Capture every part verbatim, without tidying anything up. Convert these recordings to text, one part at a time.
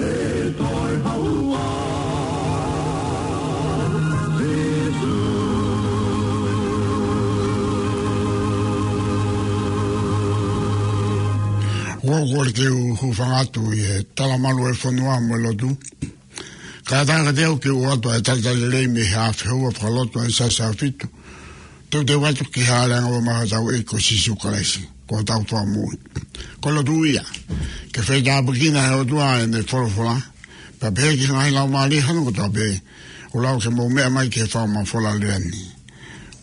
ʻE toe haua, Sīsū. ʻOku ou kole ke u hūfanga atu ʻi he talamalu ʻo e fonua mo e lotu. Kae ʻatā kiate au ke u ʻoatu ʻa e talitali lelei mei he ʻafio fakalotu ʻa e Siasi ʻAhofitu. Teuteu atu ki he hāʻele angaua mai hotau ʻEiki ko Sīsū Kalaisi, ko hotau Fakamoʻui. Ko e lotu ia, ke faitāpuekina ʻe he ʻOtua ʻene folofola, pea pehē ki he ngaahi laumālie hono kotoa pē, ʻoku lau ke mou meʻa mai ki he fakamafola lelei ni.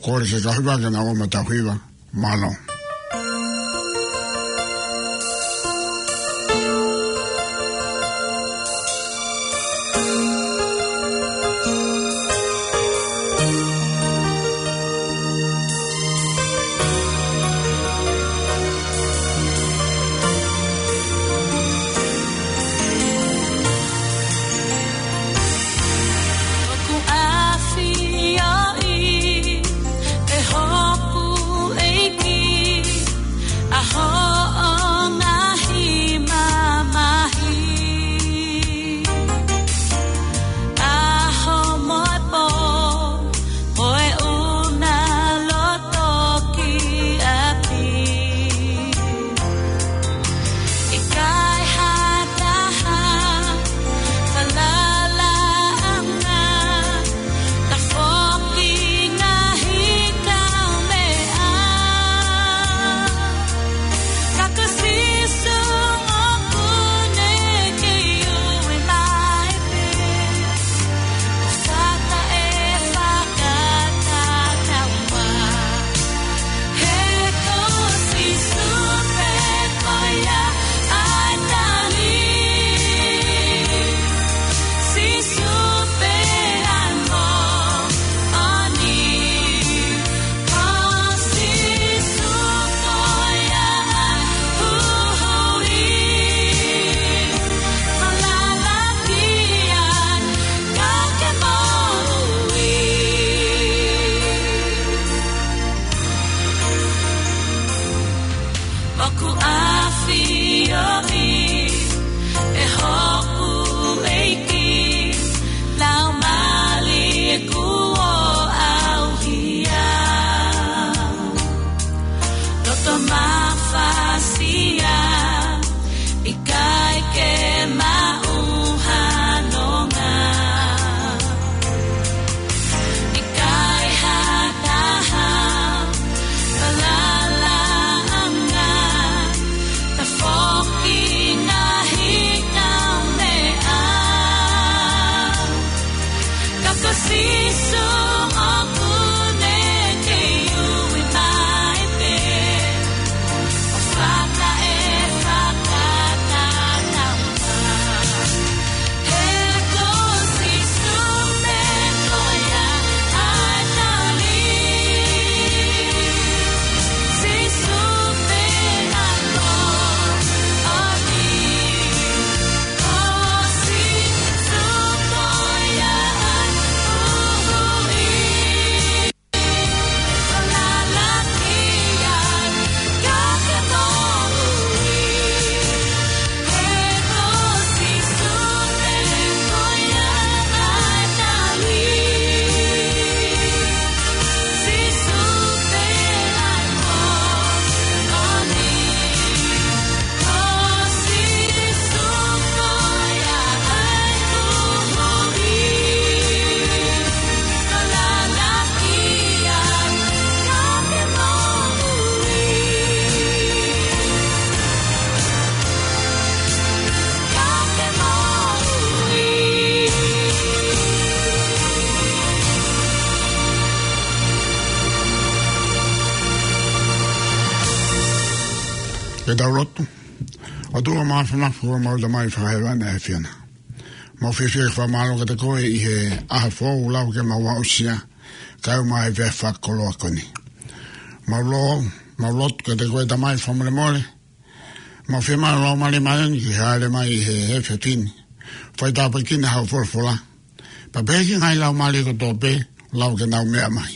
Kole ke kau hiva ke nau ō mai ʻo tau hiva. Mālō. ʻOku ʻafioʻi ʻe hoku ʻEiki ʻa hoʻo ngaahi mamahi, ʻaho mo e pō, mo e ʻuna loto ki ʻapi. ʻIkai ha taha falalaʻanga, tafoki ngaahi kaumeʻa. Ka ko Sīsū ʻoku ne kei ui mai pē. Fata e fakatatau. He ko Sīsū pē ko ia ʻa e tali. Sīsū pē ʻa e moʻoni. Ko Sīsū ko ia ʻa e huhuʻi. Falala ki ai ka ke moʻui. ʻOku ʻafioʻi ʻe hoku ʻEiki laumālie kuo ʻauhia. Loto mafasia, ʻikai ke maʻu ha nonga. ʻIkai ha taha falalaʻanga, tafoki ngaahi kaumeʻa. Ka ko Sīsū ʻoku ne kei ui mai pē. ʻO fata e fakatatau. He ko Sīsū pē ko ia ʻa e tali. Sīsū pē ʻa e moʻoni. Ko Sīsū ko ia ʻa e huhuʻi. Ke tau lotu. ʻOtua mafimafi, ko homau Tamai fakahēvani, ʻa e ʻAfiona. Mau fiefia ke fakamālō kiate koe ʻi he ʻaho foʻou ʻoku lau ke mau aʻusia, kae ʻumaʻā e efiafi fakakoloa ko eni. Mau lo-, mau lotu kiate koe Tamai fakamolemole. Mau fiemaʻu Laumālie Māʻoniʻoni ke hāʻele mai ʻi he efiafi ni. Faitāpuekina hoʻo folofola. Pea pehē ki he ngaahi laumālie kotoa pē, lau ke nau meʻa mai.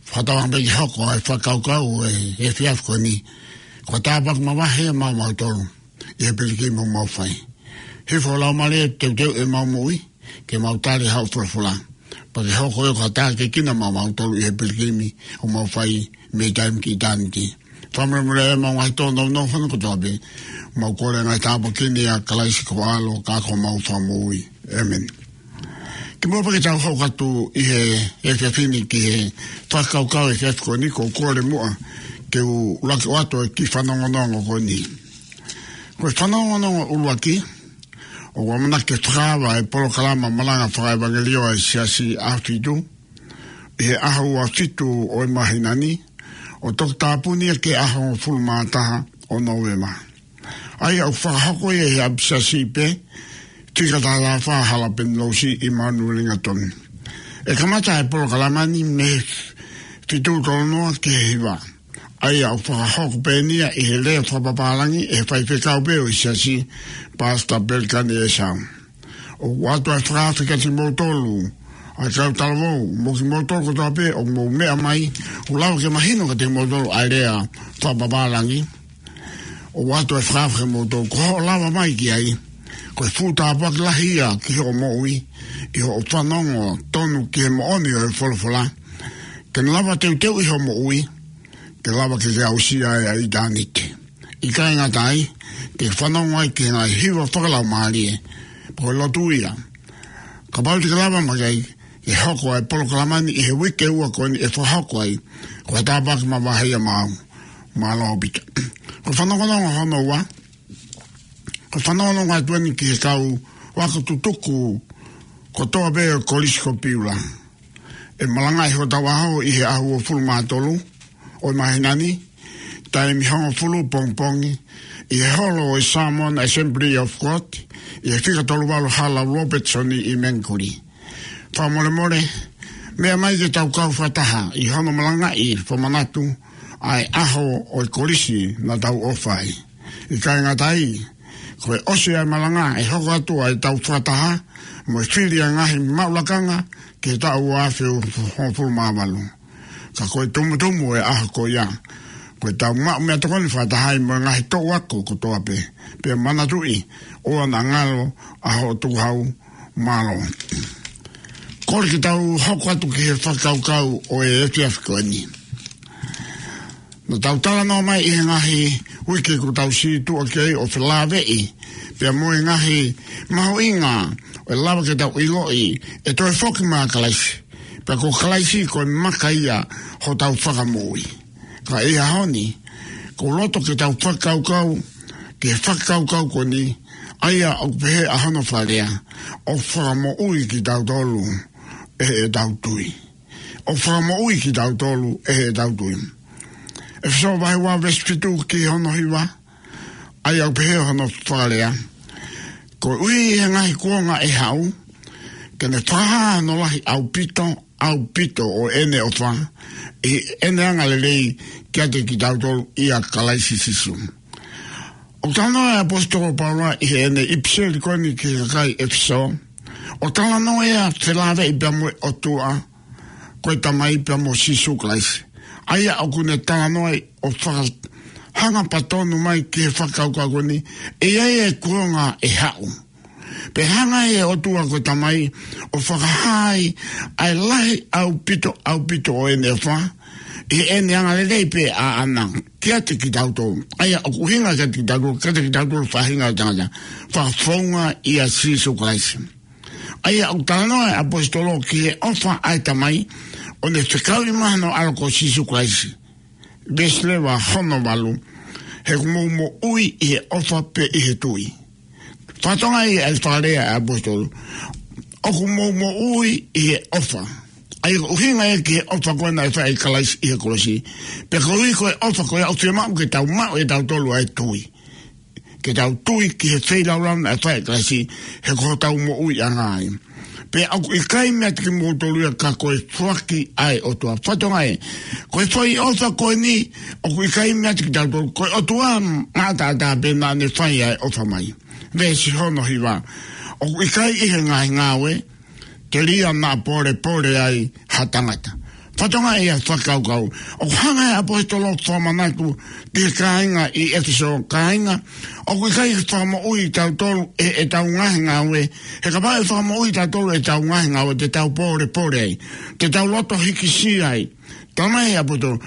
Fakatauange pē ke hoko ʻa e fakakaukau ʻo e efiafi ko eni ko ha tāpuaki mavahe maʻamautolu ʻi he pilikimi ʻoku mau fai. Hifo lau mālie, teuteu ʻemau moʻui, ke mau tali haʻo folofola. Pea ke hoko ia ko ha taha ke kina maʻamautolu ʻi he pilikimi ʻoku mau fai mei taimi ki ʻitāniti. Fakamolemole ʻemau ngaahi tōnounou fana kotoa pē. Mau kole ngaahi tāpuaki ni ʻia Kalaisi ko ho ʻAlo ka ko homau Fakamoʻui. ʻĒmeni. Kimuʻa pea ke tau hoko atu ʻi he efiafi ni ki he fakakaukau efiafi ko eni, ʻoku ou kole muʻa ke u ʻuluaki ʻoatu e kiʻi fanongonongo ko eni. Ko e fanongonongo ʻuluaki, ʻoku ʻamanaki ke fakaava e polokalama malanga fakaʻevangeliō ʻa e Siasi ʻAhofitu, ʻi he ʻaho ua fitu ʻo e māhina ni, ʻo toki tāpuni ia ki he ʻaho hongofulu mā taha ʻo Nōvema. ʻA ia ʻoku fakahoko ia ʻi he ʻapisiasi pē, fika taha taha fā Hala Penilosi ʻi Manurelinga Tonu. ʻE kamata e polokalama ni mei he fitu tolu noa ki he hiva. ʻA ia ʻoku fakahoko pē eni ia ʻi he lea fakapapālangi ʻe he faifekau pē ʻo e Siasi, Pastor Pelikani Esau. ʻOku ʻoatu e fakaafe kiate kimoutolu, ʻa e kau talavou, mo kimoutolu kotoa pē ʻoku mou meʻa mai, ʻoku lava ke mahino kiate kimoutolu ʻa e lea fakapapālangi. ʻOku ʻoatu e fakaafe kiate kimoutolu, ko hoʻo lava mai ki ai, ko e fuʻu tāpuaki lahi ia ki hoʻo moʻui, ʻi hoʻo fanongo tonu ki he moʻoni ʻo e folofola. Ke ne lava teuteuʻi hoʻo moʻui, ke lava ke ke aʻusia ai ʻa ʻitāniti. ʻIkai ngata ai, ke fanongo ai ki he ngaahi hiva fakalaumālie, pea ko e lotu ia. Kapau te ke lava mai ai, ke hoko ai e polokalama ni ʻi he uike ʻe ua ko eni ʻe fakahoko ai, ko e tāpuaki mavahe ia maʻau. Mālō ʻaupito. Ko e fanongonongo hono ua, ko e fanongonongo atu eni ki he kau ako tutuku kotoa pē ʻo e Kolisi ko Piula. ʻE malangaʻi hotau ʻaho ʻi he ʻaho hongofulu mā tolu ʻo e māhina ni, taimi hongofulu pongipongi, ʻi he holo ʻo e Samoan Assembly of God, ʻi he fika tolu valu Hala Robertson ʻi Mangere. Fakamolemole, meʻa mai ke tau kau fakataha ʻi hono malangaʻi fakamanatu ʻa e ʻaho ʻo e kolisi naʻa tau ʻofa ai. ʻIkai ngata ai, ko e ʻosi ʻa e malanga ʻe hoko atu ʻa ʻetau fakataha mo e fili ʻa e ngaahi maʻu lakanga ki he taʻu ua afe hongofulu mā valu. Ka ko e tumutumu ʻo e ʻaho ko ia, ko ʻetau maʻu meʻatokoni fakataha ai mo e ngaahi toʻu ako kotoa pē. Pea manatuʻi, ʻoua naʻa ngalo ʻa hoʻo tukuhau. Mālō. Kole ke tau hoko atu ki he fakakaukau ʻo e efiafi ko eni. Naʻa tau talanoa mai ʻi he ngaahi uike kuo tau situʻa ki ai ʻo felāveʻi pea mo e ngaahi mahuʻinga ʻe lava ke tau ʻiloʻi ʻe toe foki mai ʻa Kalaisi, pea ko Kalaisi ko e maka ia hotau fakamoʻui. Ka ʻi he ʻaho ni, ʻoku ou loto ke tau fakakaukau ki he fakakaukau ko eni, ʻa ia ʻoku pehē ʻa hono fakalea, ʻoku fakamoʻui kitautolu ʻe heʻetau tui. ʻOku fakamoʻui kitautolu ʻe heʻetau tui. ʻEfesō vahe ua veesi fitu ki hono hiva, ʻa ia ʻoku pehē hono fakalea: Koeʻuhi ʻi he ngaahi kuonga ʻe haʻu, ke ne fakahā hono lahi ʻaupito, ʻaupito ʻo ʻene ʻofa ʻi heʻene angalelei kiate kitautolu ʻia Kalaisi Sīsū. ʻOku talanoa e ʻaposetolo ko Paula ʻi heʻene ʻipiseli ko eni ki he kakai ʻEfesō, ʻoku talanoa ia felāveʻi pea mo e ʻOtua ko e Tamai pea mo Sīsū Kalaisi. ʻA ia ʻoku ne talanoa ai ʻo fakahanga patonu mai ki he fakakaukau ko eni, ʻe ʻi ai e kuonga ʻe haʻu, pea hanga ʻe he ʻOtua ko e Tamai ʻo fakahā ai ʻa e lahi ʻaupito, ʻaupito ʻo ʻene ʻofa ʻi heʻene angalelei pē ʻaʻana kiate kitautolu. ʻA ia ʻoku ʻuhinga kiate kitautolu, kiate kitautolu faʻahinga ʻo e tangata, fakafounga ʻia Sīsū Kalaisi. ʻA ia ʻoku talanoa e ʻaposetolo ki he ʻofa ʻa e Tamai, ʻo ne fekauʻi mai hono ʻAlo ko Sīsū Kalaisi. Veesi leva hono valu: He ʻoku mou moʻui ʻi he ʻofa pea ʻi he tui. Fakatokangaʻi ʻa e fakalea ʻa e ʻaposetolo, ʻoku mou moʻui ʻi he ʻofa. ʻA ia ʻoku ʻuhinga ia ki he ʻofa ko ē naʻe fai ʻe Kalaisi ʻi he kolosi. Pea koeʻuhi ko e ʻofa ko ia ʻoku fiemaʻu ke tau maʻu ʻe tautolu ʻa e tui. Ke tau tui ki he feilaulau naʻe fai ʻe Kalaisi, he ko hotau moʻuiʻanga ia. Pea ʻoku ʻikai meiate kimoutolu ia ka ko e foaki ʻa e ʻOtua. Fakatokangaʻi, ko e foʻi ʻofa ko eni, ʻoku ʻikai meiate kitautolu, ko e ʻOtua maʻataʻatā pē naʻa ne fai ʻa e ʻofa mai. Veesi hono hiva: ʻOku ʻikai ʻi he ngaahi ngāue, telia naʻa polepole ai ha tangata. Fakatokangaʻi ʻa e fakakaukau. ʻOku hanga ʻe he ʻaposetolo ʻo fakamanatu ki he kāinga ʻi ʻEfesō, kāinga, ʻoku ʻikai fakamoʻui kitautolu ʻe heʻetau ngaahi ngāue. He kapau ʻe fakamoʻui kitautolu ʻe heʻetau ngaahi ngāue, te tau pōlepole ai, te tau loto hikisia ai. Talamai ʻe he ʻaposetolo,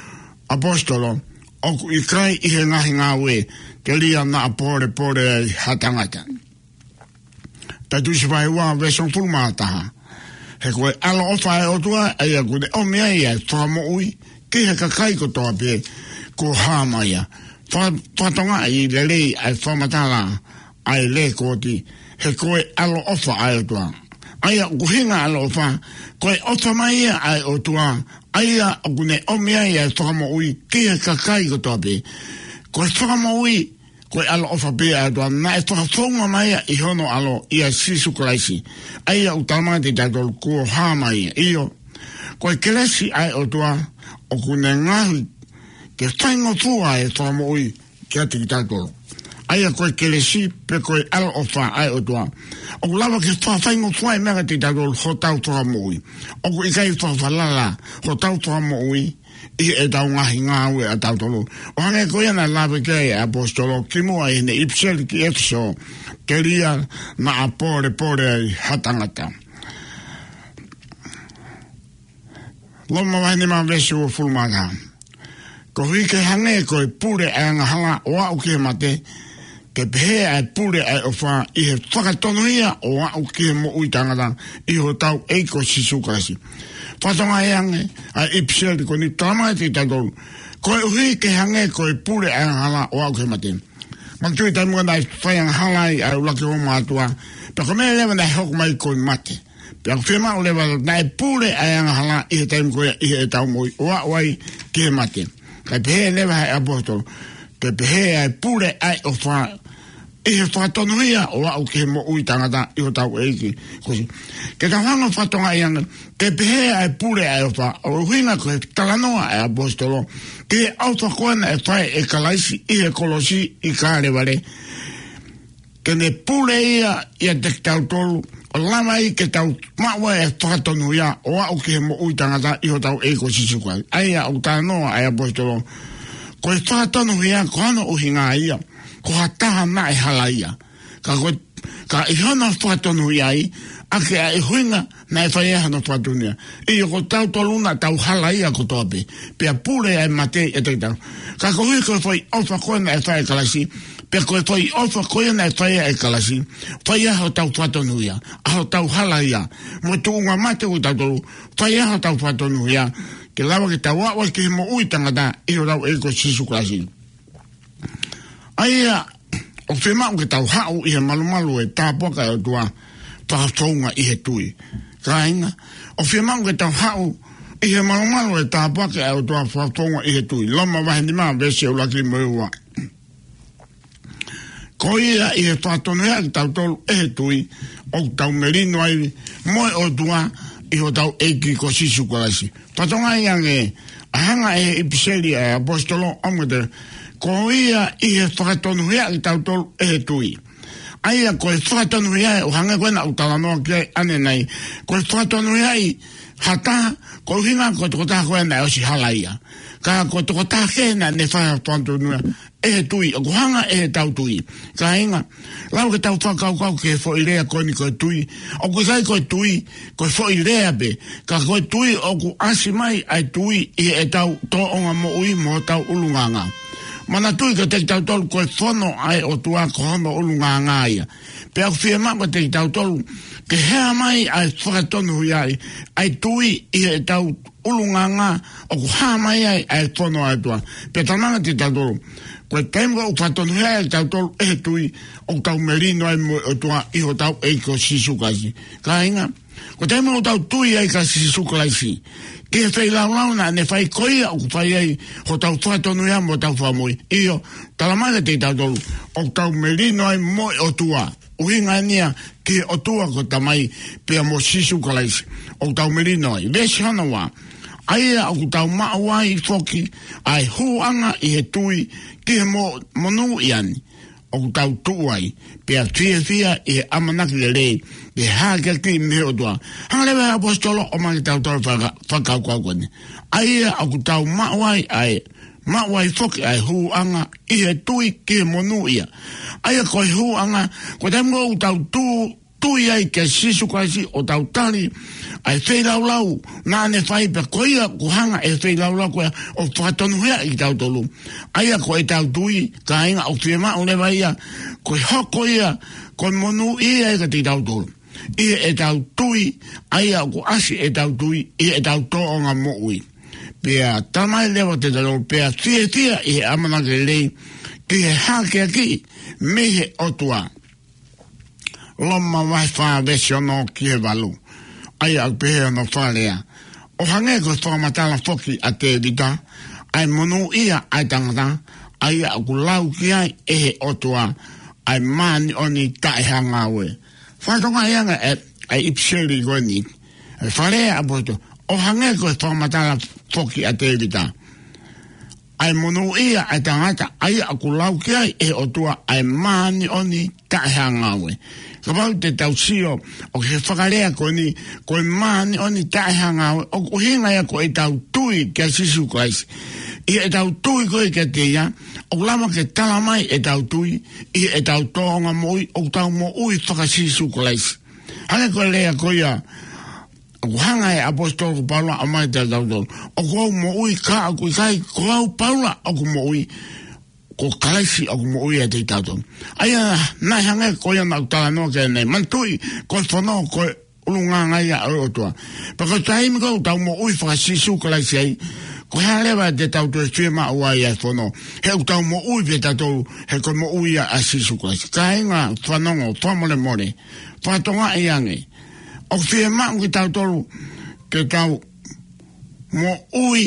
ʻaposetolo, ʻoku ʻikai ʻi he ngaahi ngāue, telia naʻa pōlepole ai ha tangata. Taitusi vahe ua veesi hongofulu mā taha. He ko e ʻaloʻofa ʻa e ʻOtua, ʻa ia ʻoku ne ʻomi ai ʻa e fakamoʻui ki he kakai kotoa pē kuo hā mai ia. Fa-, fakatokangaʻi lelei ʻa e fakamatala ʻa e lēkooti, he ko e ʻaloʻofa ʻa e ʻOtua. ʻA ia ʻoku ʻuhinga ʻaloʻofa, ko e ʻofa mai ia ʻa e ʻOtua, ʻa ia ʻoku ne ʻomi ai ʻa e fakamoʻui ki he kakai kotoa pē. Ko e fakamoʻui, ko e ʻaloʻofa pē ʻa e ʻOtua, naʻe fakafounga mai ia ʻi hono ʻAlo, ʻia Sīsū Kalaisi. ʻA ia ʻoku talamai kiate kitautolu kuo hā mai ia. ʻIo, ko e kelesi ʻa e ʻOtua, ʻoku ne ngaohi ke faingofua e fakamoʻui kiate kitautolu. ʻA ia ko e kelesi pe ko e ʻaloʻofa ʻa e ʻOtua, ʻoku lava ke fakafaingofua e meʻa kiate kitautolu hotau fakamoʻui. ʻOku ʻikai fakafalala hotau fakamoʻui ʻi heʻetau ngaahi ngāue ʻatautolu. ʻO hangē ko ia naʻe lave ki ai ʻa e ʻaposetolo kimuʻa ʻi heʻene ʻipiseli ki ʻEfesō, telia naʻa pōlepole ai ha tangata. Loma vahe nima veesi uofulu mā taha. Koeʻuhi ke hangē ko e pule ʻa e angahala ʻo aʻu ki he mate, ke pehē ʻa e pule ʻa e ʻofa ʻi he fakatonuhia ʻo aʻu ki he moʻui taʻengata ʻi hotau ʻEiki ko Sīsū Kalaisi. Fakatokangaʻi ange ʻa e ʻipiseli ko eni, talamai kiate kitautolu, koeʻuhi ke hangē ko e pule ʻa e angahala ʻo aʻu ki he mate. Manatuʻi taimi ko ē naʻe fai angahala ai ʻa e ʻuluaki ongo mātuʻa, pea ko e meʻa leva naʻe hoko mai ko e mate. Pea ʻoku fiemaʻu leva naʻe pule ʻa e angahala ʻi he taimi ko ia ʻi heʻetau moʻui ʻo aʻu ai ki he mate. Kae pehē leva ʻe he ʻaposetolo, ke pehē ʻa e pule ʻa e ʻofa ʻi he fakatonuhia ʻo aʻu ki he moʻui taʻengata ʻi hotau ʻEiki ko Sī-, ke tau hanga ʻo fakatokangaʻi ange, ke pehē ʻa e pule ʻa e ʻofa, ʻoku ʻuhinga ko e talanoa ʻa e ʻaposetolo ki he ʻofa ko ē naʻe fai ʻe Kalaisi ʻi he kolosi ʻi Kalevale. Ke ne pule ia ʻiate kitautolu, ʻo lava ai ke tau maʻu ʻa e fakatonuhia ʻo aʻu ki he moʻui taʻengata ʻi hotau ʻEiki ko Sīsū Kalaisi. ʻA ia ʻoku talanoa ʻa e ʻaposetolo, ko e fakatonuhia ko hono ʻuhinga ia ko ha taha naʻe halaia. Ka ko, ka ʻi hono fakatonuhia ai, ʻa ia ʻoku ʻuhinga naʻe fai ai hono fakatonuhia. ʻIo, ko tautolu naʻa tau halaia kotoa pē, pea pule ʻa e mate ʻiate kitautolu. Ka koeʻuhi ko e foʻi ʻofa ko ē naʻe fai ʻe Kalaisi, pea ko e foʻi ʻofa ko ia naʻe fai ʻe Kalaisi, fai ai hotau fakatonuhia ʻa hotau halaia, mo e tuʻunga mate ʻo tautolu, fai ai hotau fakatonuhia, ke lava ke tau aʻu ai ki he moʻui taʻengata ʻi hotau ʻEiki ko Sīsū Kalaisi. ʻA ia, ʻoku fiemaʻu ke tau haʻu ʻi he malumalu ʻo e tāpuaki ʻa e ʻOtua, fakafounga ʻi he tui. Kāinga, ʻoku fiemaʻu ke tau haʻu ʻi he malumalu ʻo e tāpuaki ʻa e ʻOtua, fakafounga ʻi he tui. Loma vahe nima veesi ʻuluaki mo e ua. Ko ia ʻi he fakatonuhia kitautolu ʻe he tui, ʻoku tau melino ai mo e ʻOtua ʻi hotau ʻEiki ko Sīsū Kalaisi. Fakatokangaʻi ange ʻa e hanga ʻe he ʻipiseli ʻa e ʻaposetolo ʻo ʻomi kiate, ko ia ʻi he fakatonuhia kitautolu ʻe he tui. ʻA ia ko e fakatonuhia ʻoku hangē ko ē naʻa ku talanoa ki ai ʻanenai. Ko e fakatonuhia ʻi ha taha, ko e ʻuhinga ko e tokotaha ko ē naʻe ʻosi halaia. Ka ko e tokotaha kehe naʻa ne fai ha fakatonuhia ʻe he tui, ʻoku hanga ʻe heʻetau tui. Kāinga, lava ke tau fakakaukau ki he foʻi lea ko eni ko e tui. ʻOku ʻikai ko e tui ko e foʻi lea pē, ka ko e tui ʻoku ʻasi mai ʻa e tui ʻi heʻetau tōʻonga moʻui mo hotau ʻulungaanga. Manatuʻi kiate kitautolu ko e fono ʻa e ʻOtua ko hono ʻulungaanga ia. Pea ʻoku fiemaʻu kiate kitautolu ke hā mai ʻa e fakatonuhia ai, ʻa e tui ʻi heʻetau ʻulungaanga ʻoku hā mai ai ʻa e fono ʻa e ʻOtua. Pea talamai kiate kitautolu, ko e taimi ʻoku fakatonuhia ai kitautolu ʻe he tui, ʻoku tau melino ai mo e ʻOtua ʻi hotau ʻEiki ko Sīsū Kalaisi. Kāinga, ko e taimi ʻoku tau tui ai kia Sīsū Kalaisi, ki he feilaulau naʻa ne fai, ko ia ʻoku fai ai hotau fakatonuhia mo hotau fakamoʻui. ʻIo, talamai kiate kitautolu, ʻoku tau melino ai mo e ʻOtua. ʻUhinga eni ia ki he ʻOtua ko e Tamai pea mo Sīsū Kalaisi, ʻoku tau melino ai. Veesi hono ua. ʻA ia ʻoku tau maʻu ai foki ʻa e hūʻanga ʻi he tui ki he mo-, monūʻia ni, ʻoku tau tuʻu ai, pea fiefia ʻi he ʻamanaki lelei, ʻi he hākeakiʻi mei he ʻOtua. Hanga leva ʻe he ʻaposetolo ʻo ʻomai kiate kitautolu faka-, fakakaukau ko eni. ʻA ia ʻoku tau maʻu ai ʻa e, maʻu ai foki ʻa e hūʻanga ʻi he tui ki he monūʻia. ʻA ia ko e hūʻanga, ko e taimi ko ē ʻoku tau tui, tui ai kia Sīsū Kalaisi ʻo tau tali ʻa e feilaulau naʻa ne fai, pea ko ia ʻoku hanga ʻe he feilaulau ko ia ʻo fakatonuhiaʻi kitautolu. ʻA ia ko ʻetau tui, kāinga, ʻoku fiemaʻu leva ia, ko e hoko ia ko e monūʻia ia kiate kitautolu ʻi heʻetau tui, ʻa ia ʻoku ʻasi ʻetau tui ʻi heʻetau tōʻonga moʻui. Pea talamai leva kiate kitautolu, pea fiefia ʻi he ʻamanaki lelei ki he hākeakiʻi mei he ʻOtua. Loma vahe fā veesi ono ki he valu. ʻA ia ʻoku pehē hono fakalea: ʻO hangē ko e fakamatala foki ʻa Tēvita, ʻa e monūʻia ʻa e tangata, ʻa ia ʻoku lau ki ai ʻe he ʻOtua ʻa e māʻoniʻoni taʻehāngāue. Fakatokangaʻi ange ʻa e, ʻa e ʻipiseli ko eni, ʻa e fakalea ʻa e ʻaposetolo, ʻo hangē ko e fakamatala foki ʻa Tēvita, ʻa e monūʻia ʻa e tangata, ʻa ia ʻoku lau ki ai ʻe he ʻOtua ʻa e māʻoniʻoni taʻehāngāue. Kapau te tau sio ʻo ki he fakalea ko eni, ko e māʻoniʻoni taʻehāngāue, ʻoku ʻuhinga ia ko ʻetau tui kia Sīsū Kalaisi. ʻI heʻetau tui ko ē kiate ia, ʻoku lava ke talamai ʻetau tui ʻi heʻetau tōʻonga moʻui, ʻoku tau moʻui faka-Sīsū Kalaisi. Hangē ko e lea ko ia ʻoku hanga ʻe he ʻaposetolo ko Paula ʻo ʻomai kiate kitautolu: ʻOku ou moʻui, ka ʻoku ʻikai ko au Paula ʻoku moʻui, ko Kalaisi ʻoku moʻui ʻiate kitautolu. ʻA ia naʻe hangē ko ia naʻa ku talanoa ki ai ʻanenai. Manatuʻi, ko e fono ko e ʻulungaanga ia ʻo e ʻOtua. Pea ko e taimi ko ē ʻoku tau moʻui faka-Sīsū Kalaisi ai, ko e hā leva te tau toe fiemaʻu ai ʻa e fono? He ʻoku tau moʻui pē tautolu, he ko e moʻui ia ʻa Sīsū Kalaisi. Kāinga, fanongo, fakamolemole, fakatokangaʻi ange. ʻOku fiemaʻu kitautolu ke tau moʻui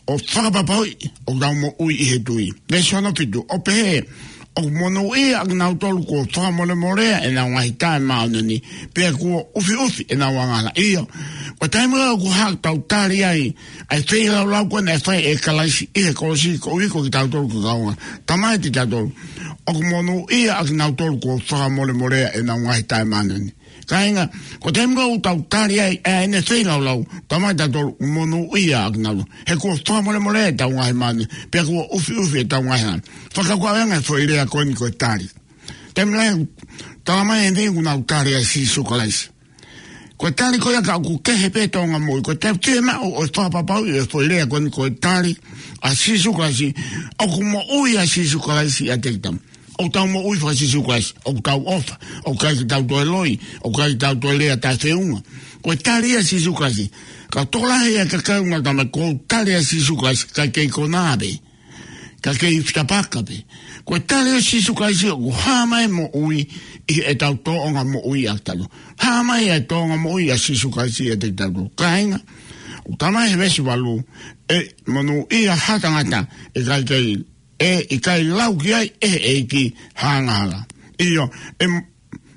ʻo fakapapauʻi ʻoku tau moʻui ʻi he tui. Veesi hono fitu, ʻo pehē: ʻOku monūʻia ʻa kinautolu kuo fakamolemolea ʻenau ngaahi taʻemāʻoniʻoni, pea kuo ʻufiʻufi ʻenau angahala. ʻIo, ko e taimi ko ē ʻoku hā ʻoku tau tali ai ʻa e feilaulau ko ē naʻe fai ʻe Kalaisi ʻi he kolosi koeʻuhi ko kitautolu ko e kaungā, talamai kiate kitautolu, ʻoku monūʻia ʻa kinautolu kuo fakamolemolea ʻenau ngaahi taʻemāʻoniʻoni. Kāinga, ko e taimi ko ē ʻoku tau tali ai ʻa ʻene feilaulau, talamai kiate kitautolu ʻoku monūʻia ʻa kinautolu, he kuo fakamolemolea ʻetau ngaahi māʻoniʻoni, pea kuo ʻufiʻufi ʻetau ngaahi angahala. Fakakaukau ange e foʻi lea ko eni ko e tali. Taimi lahi talamai ʻe he niʻihi ʻoku nau tali ʻa Sīsū Kalaisi. Ko e tali ko ia ka ʻoku kehe pē tōʻonga moʻui. Ko e taimi fiemaʻu ʻo e fakapapauʻi ʻo e foʻi lea ko eni ko e tali ʻa Sīsū Kalaisi, ʻoku moʻui ʻa Sīsū Kalaisi ʻiate kitautolu. ʻOku tau moʻui faka-Sīsū Kalaisi, ʻoku tau ʻofa, ʻoku ʻikai ke tau toe loi, ʻoku ʻikai ke tau toe lea taʻefeʻunga. Ko e tali ʻa Sīsū Kalaisi. Ka ʻoku tokolahi e kakai ʻoku nau talamai, ʻoku ou tali ʻa Sīsū Kalaisi, ka kei konā pē, ka kei fitapaka pē. Ko e tali ʻa Sīsū Kalaisi ʻoku hā mai moʻui ʻi heʻetau tōʻonga moʻui ʻa kitautolu. Hā mai e tōʻonga moʻui ʻa Sīsū Kalaisi ʻiate kitautolu. Kāinga, ʻoku talamai he veesi valu, ʻe monūʻia ha tangata ʻe ʻikai ke ʻe ʻikai lau ki ai ʻe he ʻEiki ha angahala. ʻIo, ʻe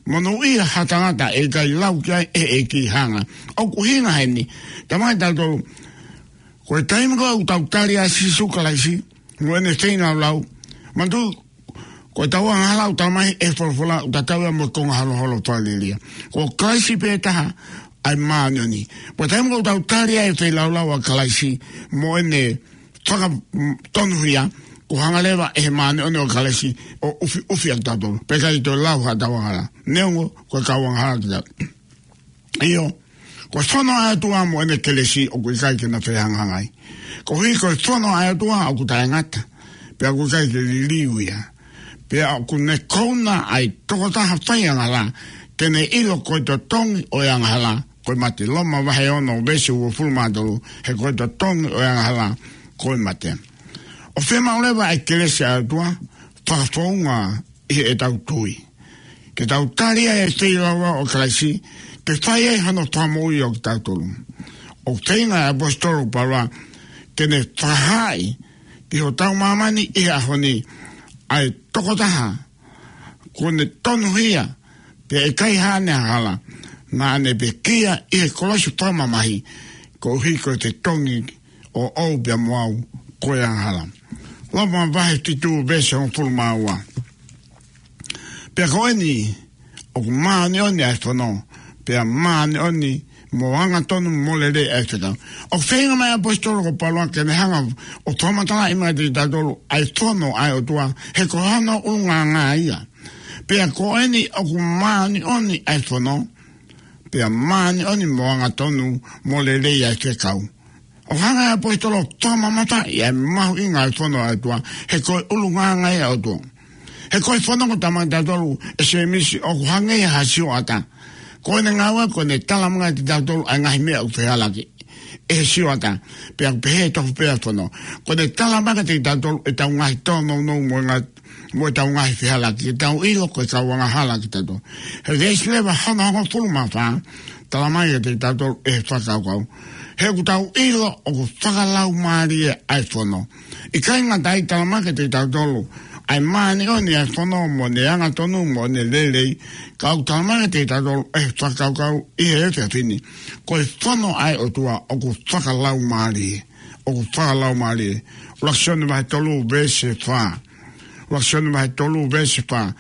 monūʻia ha tangata ʻe ʻikai lau ki ai ʻe he ʻEiki ha angahala. ʻOku ʻuhinga heni, talamai kiate kitautolu, ko e taimi ko ē ʻoku tau tali ʻa Sīsū Kalaisi mo ʻene feilaulau, manatuʻi, ko ʻetau angahala ʻoku talamai ʻe he folofola ʻoku tatau ia mo e konga holoholo fakalielia. Ko Kalaisi pē taha ʻa e māʻoniʻoni. Ko e taimi ko ē ʻoku tau tali ai e feilaulau ʻa Kalaisi mo ʻene fakatonuhia, kuo hanga leva ʻe he māʻoniʻoni ʻo Kalaisi ʻo ʻufiʻufi ʻa kitautolu, pea ʻikai toe lau haʻatau angahala, neongo ko e kau angahala kitautolu. ʻIo, ko e fono ʻa e ʻOtua mo ʻene kelesi ʻoku ʻikai ke na fehangahangai. Koeʻuhi ko e fono ʻa e ʻOtua ʻoku taʻengata, pea ʻoku ʻikai ke liliu ia. Pea ʻoku ne kouna ʻa e tokotaha faiangahala, ke ne ʻilo ko e totongi ʻo e angahala ko e mate. Loma vahe ono veesi uofulu mā tolu, he ko e totongi ʻo e angahala ko e mate. ʻOku fiemaʻu leva ʻa e kelesi ʻa e ʻOtua, fakafounga ʻi heʻetau tui, ke tau tali ai e feilaulau ʻo Kalaisi, ke fai ai hano fakamoʻui ʻo kitautolu. ʻOku feinga e ʻaposetolo ko Paula ke ne fakahaaʻi ki hotau māmani ʻi he ʻaho ni ʻa e tokotaha kuo ne tonuhia, pea ʻikai haʻane angahala, naʻa ne pekia ʻi he kolosi fakamamahi, koeʻuhi ko e totongi ʻoʻou pea mo au ko e angahala. Loma vahe fitu veesi hongofulu mā ua. Pea ko eni, ʻoku māʻoniʻoni ʻa e fono, pea māʻoniʻoni mo angatonu mo lelei ʻa e fekau. ʻOku feinga mai ʻa e ʻaposetolo ko Paula ke ne hanga ʻo fakamatalaʻi mai kiate kitautolu ʻa e fono ʻa e ʻOtua, he ko hono ʻulungaanga ia. Pea ko eni ʻoku māʻoniʻoni ʻa e fono, pea māʻoniʻoni mo angatonu mo lelei ʻa e fekau. ʻOku hanga ʻe he ʻaposetolo ʻo fakamamafaʻi ʻa e mahuʻinga ʻo e fono ʻa e ʻOtua, he ko e ʻulungaanga ia ʻo e ʻOtua. He ko e fono, ko e tala mai kiate kitautolu ʻe Sēmisi ʻoku hangē ha sioʻata. Ko ʻene ngāue, ko ʻene tala mai kiate kitautolu ʻa e ngaahi meʻa ʻoku fehālaaki ʻe he sioʻata. Pea ʻoku pehē tofu pē ʻa e fono. Ko ʻene tala mai kiate kitautolu ʻetau ngaahi tōnounou mo e ngaahi mo ʻetau ngaahi fehālaaki, ke tau ʻilo ko e kau angahala kitautolu. He veesi leva hono hongofulu mā fā, tala mai kiate kitautolu ʻe he fakakaukau. He ʻoku tau ʻilo ʻoku fakalaumālie ʻa e fono. ʻIkai ngata ai, tala mai kiate kitautolu ʻa e māʻoniʻoni ʻa e fono mo ʻene angatonu mo ʻene lelei, ka ʻoku tala mai kiate kitautolu ʻe he fakakaukau ʻi he efiafi ni, ko e fono ʻa e ʻOtua ʻoku fakalaumālie. ʻOku fakalaumālie. ʻUluaki Sione vahe tolu veesi fā. ʻUluaki Sione vahe tolu veesi fā.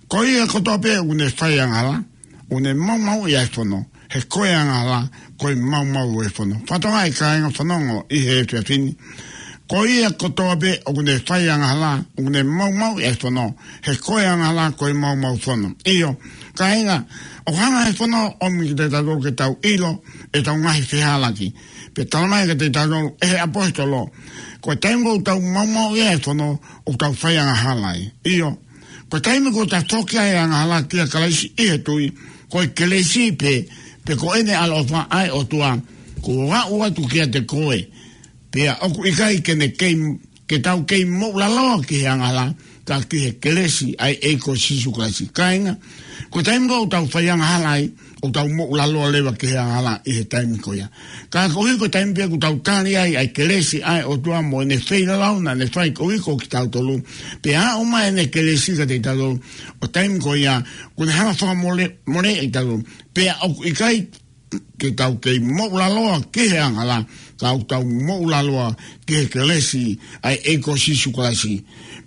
Ko ia kotoa pē ʻoku ne fai angahala, ʻoku ne maumauʻi ʻa e fono. He ko e angahala ko e maumau ʻo e fono. Fakatokangaʻi kāinga fanongo ʻi he efiafi ni. Ko ia kotoa pē ʻoku ne fai angahala, ʻoku ne maumauʻi ʻa e fono. He ko e angahala ko e maumau fono. ʻIo, kāinga, ʻoku hanga ʻe he fono ʻo ʻomi kiate kitautolu ke tau ʻilo ʻetau ngaahi fehālaaki. Pea tala mai kiate kitautolu ʻe he ʻaposetolo, ko e taimi ʻoku tau maumauʻi ai ʻa e fono, ʻoku tau fai angahala ai. ʻIo, ko e taimi ʻoku tau foki ai ʻa e angahala kia Kalaisi ʻi he tui, ko e kelesi pē, pe ko ʻene ʻaloʻofa ʻa e ʻOtua, kuo aʻu atu kiate koe. Pea ʻoku ʻikai ke ne kei, ke tau kei moʻulaloa ki he angahala, ka ki he kelesi ʻa e ʻEiki ko Sīsū Kalaisi. Kāinga, ko e taimi ʻoku tau fai angahala ai, ʻoku tau moʻulaloa leva ki he angahala ʻi he taimi ko ia. Ka koeʻuhi ko e taimi pē ʻoku tau tali ai ʻa e kelesi ʻa e ʻOtua mo ʻene feilaulau naʻa ne fai koeʻuhi ko kitautolu, pea aʻu mai ʻene kelesi kiate kitautolu, ʻo taimi ko ia, kuo ne hanga ʻo fakamolemoleʻi kitautolu. Pea ʻoku ʻikai ke tau kei moʻulaloa ki he angahala, ka ʻoku tau moʻulaloa ki he kelesi ʻa e ʻEiki ko Sīsū Kalaisi.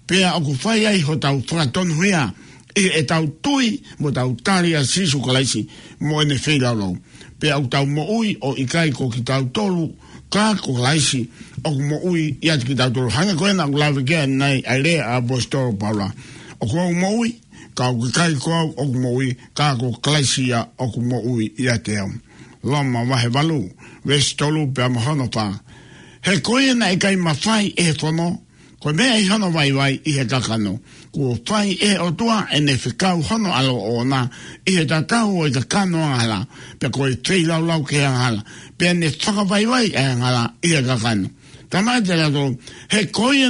Pea ʻoku fai ai hotau fakatonuhia ʻi heʻetau tui mo ʻetau tali ʻa Sīsū Kalaisi mo ʻene feilaulau. Pea ʻoku tau moʻui ʻo ʻikai ko kitautolu, ka ko Kalaisi ʻoku moʻui ʻiate kitautolu. Hangē ko ena ʻoku lave ki ai ʻanenai ʻa e lea ʻa e ʻaposetolo ko Paula. ʻOku ou moʻui, ka ʻoku ʻikai ko au ʻoku moʻui, ka ko Kalaisi ia ʻoku moʻui ʻiate au. Loma vahe valu, veesi tolu pea mo hono fā. He ko ia naʻe ʻikai mafai ʻe he fono, ko e meʻa ʻi hono vaivai ʻi he kakano, kuo fai ʻe he ʻOtua ʻene fekau hono ʻAlo ʻoʻona ʻi he tatau ʻo e kakano angahala, pea ko e feilaulau ki he angahala, pea ne fakavaivai ʻa e angahala ʻi he kakano. Tala mai kiate kitautolu, he ko ia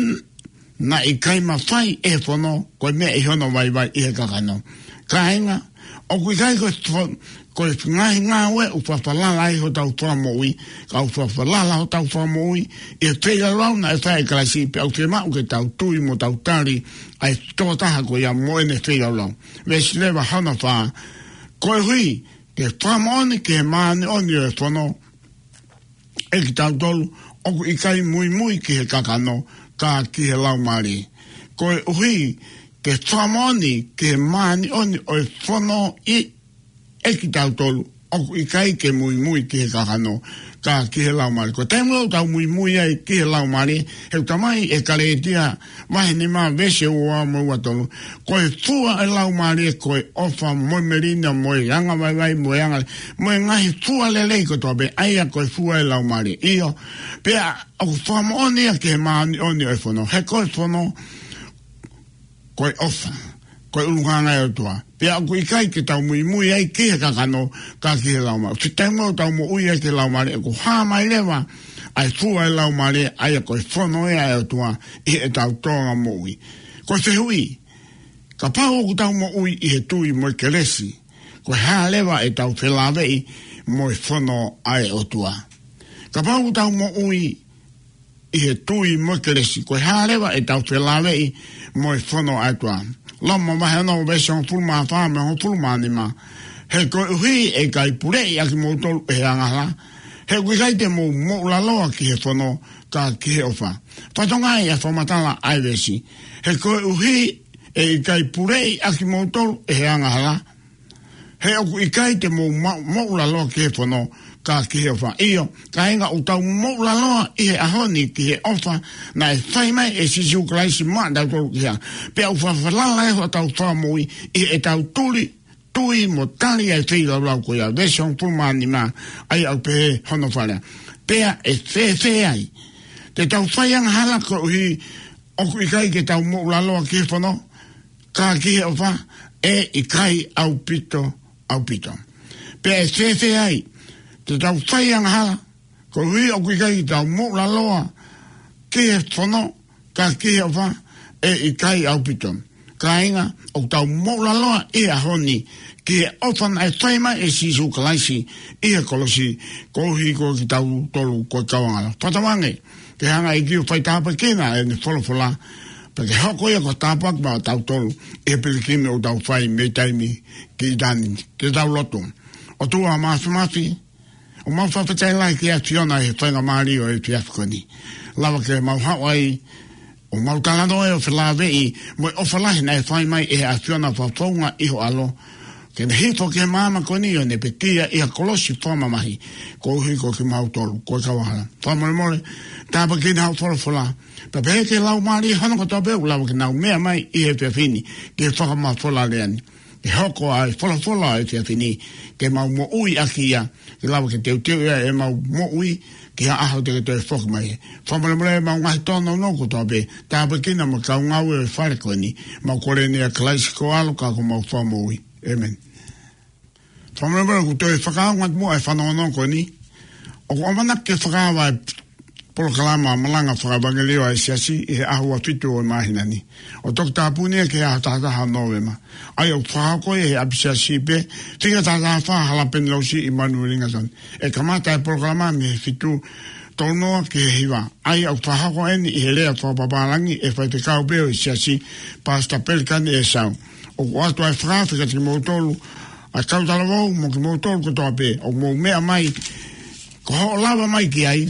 naʻe ʻikai mafai ʻe he fono, ko e meʻa ʻi hono vaivai ʻi he kakano. Kāinga, ʻoku ʻikai ko e fo-, ko e ngaahi ngāue ʻoku fakafalala ai hotau fakamoʻui, ka ʻoku fakafalala hotau fakamoʻui ʻi he feilaulau naʻe fai ʻe Kalaisi, pea ʻoku fiemaʻu ke tau tui mo tau tali ʻa e tokotaha ko ia mo ʻene feilaulau. Veesi leva hono fā, koeʻuhi ke fakamoʻoni ki he māʻoniʻoni ʻo e fono, ʻe kitautolu ʻoku ʻikai muimui ki he kakano, ka ki he Laumālie. Koeʻuhi ke fakamoʻoni ki he māʻoniʻoni ʻo e fono ʻi, ʻe kitautolu ʻoku ʻikai ke muimui ki he kakano, ka ki he Laumālie. Ko e taimi ʻoku tau muimui ai ki he Laumālie, he ʻoku tala mai ʻe Kalētia vahe nima veesi ua mo ua tolu, ko e fua ʻo e Laumālie ko e ʻofa mo e melino mo e angavaivai mo e anga, mo e ngaahi fua lelei kotoa pē, ʻa ia ko e fua ʻo e Laumālie. ʻIo, pea ʻoku fakamoʻoni ia ki he māʻoniʻoni ʻo e fono, he ko e fono ko e ʻofa, ko e ʻulungaanga ʻo e ʻOtua. Pea ʻoku ʻikai ke tau muimui ai ki he kakano, ka ki he Laumālie. Ko e taimi ʻoku tau moʻui ai ki he Laumālie, ʻoku hā mai leva ʻa e fua ʻo e Laumālie, ʻa ia ko e fono ia ʻa e ʻOtua ʻi heʻetau tōʻonga moʻui. Ko e fehuʻi, kapau ʻoku tau moʻui ʻi he tui mo e kelesi, ko e hā leva ʻetau felāveʻi mo e fono ʻa e ʻOtua? Kapau ʻoku tau moʻui ʻi he tui mo e kelesi, ko e hā leva ʻetau felāveʻi mo e fono ʻa e ʻOtua? Loma vahe ono veesi hongofulu mā fā mo e hongofulu mā nima. He koeʻuhi ʻe ʻikai puleʻi ʻa kimoutolu ʻe he angahala, he ʻoku ʻikai te mou moʻulaloa ki he fono, ka ki he ʻofa. Fakatokangaʻi ʻa e fakamatala ʻa e veesi. He koeʻuhi ʻE ʻikai puleʻi ʻa kimoutolu ʻe he angahala, he ʻoku ʻikai te mou ma-, moʻulaloa ki he fono, ka ki he ʻofa. ʻIo, kāinga, ʻoku tau moʻulaloa ʻi he ʻaho ni ki he ʻofa naʻe fai mai ʻe Sīsū Kalaisi maʻatautolu ki ai. Pea ʻoku fafalala ʻe hotau Fakamoʻui ʻi heʻetau tuli, tui mo tali ʻa e feilaulau ko ia. Veesi hongofulu mā nima, ʻa ia ʻoku pehē hono fakalea: Pea ʻe fēfē ai te tau fai angahala koeʻuhi ʻoku ʻikai ke tau moʻulaloa ki he fono, ka ki he ʻofa? ʻE ʻikai ʻaupito, ʻaupito. Pea ʻe fēfē ai te tau fai angahala koeʻuhi ʻoku ʻikai ke tau moʻulaloa ki he fono, ka ki he ʻofa? ʻE ʻikai ʻaupito. Kāinga, ʻoku tau moʻulaloa ʻi he ʻaho ni ki he ʻofa naʻe fai mai ʻe Sīsū Kalaisi ʻi he kolosi, koeʻuhi ko kitautolu ko e kau angahala. Fakatauange ke hanga ʻe he ʻEiki ʻo faitāpuekina ʻene folofola, pea ke hoko ia ko e tāpuaki maʻatautolu ʻi he pilikimi ʻoku tau fai mei taimi ki ʻitāniti. Ke tau lotu. ʻOtua Māfimafi, ʻoku mau fakafetaʻi lahi ki he ʻAfiona ʻi he faingamālie ʻo e efiafi ko eni. Lava ke mau haʻu ai ʻo mau talanoa ʻo felāveʻi mo e ʻofa lahi naʻe fai mai ʻe he ʻAfiona fakafounga ʻi ho ʻAlo, ke ne hifo ki he māmani ko eni ʻo ne pekia ʻi ha kolosi fakamamahi koeʻuhi ko kimautolu ko e kau angahala. Fakamolemole, tāpuekina hoʻo folofola, pea pehē ki he laumālie hono kotoa pē ʻoku lava ke nau meʻa mai ʻi he efiafi ni ke fakamafola lea ni. Ke hoko ʻa e folofola ʻo e efiafi ni ke mau moʻui ʻaki ia, ke lava ke teuteu ia ʻemau moʻui ki ha ʻaho te ke toe foki mai. Fakamolemole ʻemau ngaahi tōnounou kotoa pē, tāpuekina mo e kau ngāue ʻo e fale ko eni. Mau kole ni ʻia Kalaisi ko ho ʻAlo ka ko homau Fakamoʻui. ʻĒmeni. Fakamolemole, ʻoku toe fakaongo atu muʻa e fanongonongo ko eni. ʻOku ʻamanaki ke fakaava e polokalama malanga fakaʻevangeliō ʻa e Siasi ʻi he ʻaho ua fitu ʻo e māhina ni, ʻo toki tāpuni ia ki he ʻaho taha taha ʻo Nōvema, ʻa ia ʻoku fakahoko ia ʻi he ʻapisiasi pē, fika taha taha fā Hala Penilosi ʻi Manurelinga Zone. ʻE kamata e polokalama mei he fitu tolu noa ki he hiva, ʻa ia ʻoku fakahoko eni ʻi he lea fakapapālangi ʻe he faifekau pē ʻo e Siasi, Pastor Pelikani ʻEsau. ʻOku ʻoatu ʻa e fakaafe kiate kimoutolu ʻa e kau talavou mo kimoutolu kotoa pē ʻoku mou meʻa mai, ko hoʻo lava mai ki ai,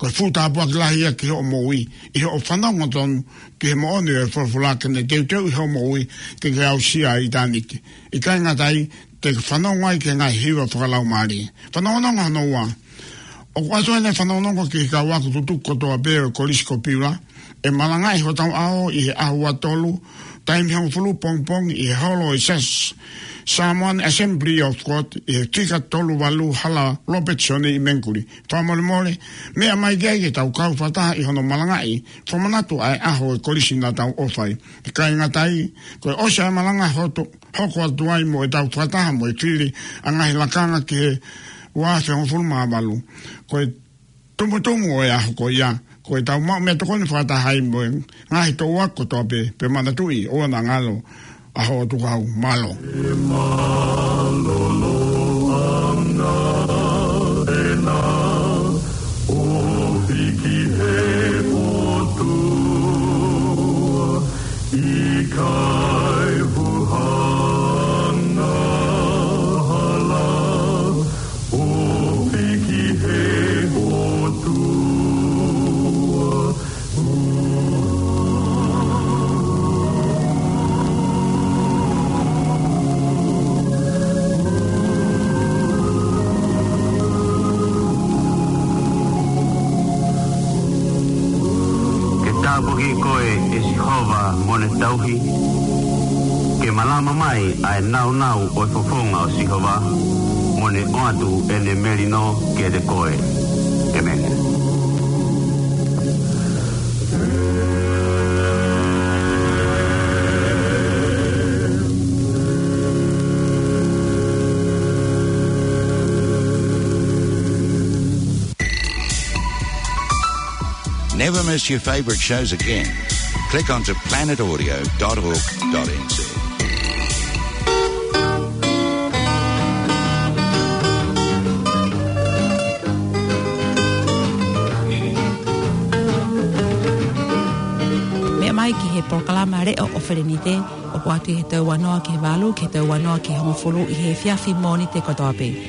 ko e fuʻu tāpuaki lahi ia ki hoʻo moʻui, ʻi hoʻo fanongo tonu ki he moʻoni ʻo e folofola, ke ne teuteu ʻi hoʻo moʻui ke ke aʻusia ʻa ʻitāniti. ʻIkai ngata ai, te ke fanongo ai ki he ngaahi hiva fakalaumālie. Fanongonongo hono ua. ʻOku ʻoatu ʻeni e fanongonongo ki he kau ako tutuku kotoa pē ʻo e Kolisi ko Piula, ʻe malangaʻi hotau ʻaho ʻi he ʻaho ua tolu, taimi hongofulu pongipongi ʻi he holo ʻo e Siasi Samoan Assembly of God ʻi he fika tolu valu Hala Robertson ʻi Mangere. Fakamolemole, meʻa mai ki ai ke tau kau fakataha ʻi hono malangaʻi fakamanatu ʻa e ʻaho ʻo e kolisi naʻa tau ʻofa ai. ʻIkai ngata ai, ko e ʻosi ʻa e malanga hoto, hoko atu ai mo ʻetau fakataha mo e fili ʻa e ngaahi lakanga ki he ua afe hongofulu mā valu. Ko e tumutumu ʻo e ʻaho ko ia, ko ʻetau maʻu meʻatokoni fakataha ai mo e ngaahi toʻu ako kotoa pē, pea manatuʻi ʻoua naʻa ngalo ʻa hoʻo tukufakahau. Mālō. Mālō ʻa e ʻOtua, ʻo hiki he ʻOtua, ʻikai huhanga hala, ʻo hiki he ʻOtua. Ke tāpuakiʻi koe ʻe Sihova mo ne tauhi, ke malama mai ʻa e nāunau ʻo e fofonga ʻo Sihova, mo ne ʻoatu ʻene melino kiate koe. ʻĒmeni. Never miss your favourite shows again. Click onto planet audio dot org dot N Z. Meʻa mai ki he polokalama Leʻo ʻo Felenite, ʻoku ʻoatu ʻi he tau ua noa ki he valu, ki he tau ua noa ki he hongofulu ʻi he efiafi Mōnite kotoa pē.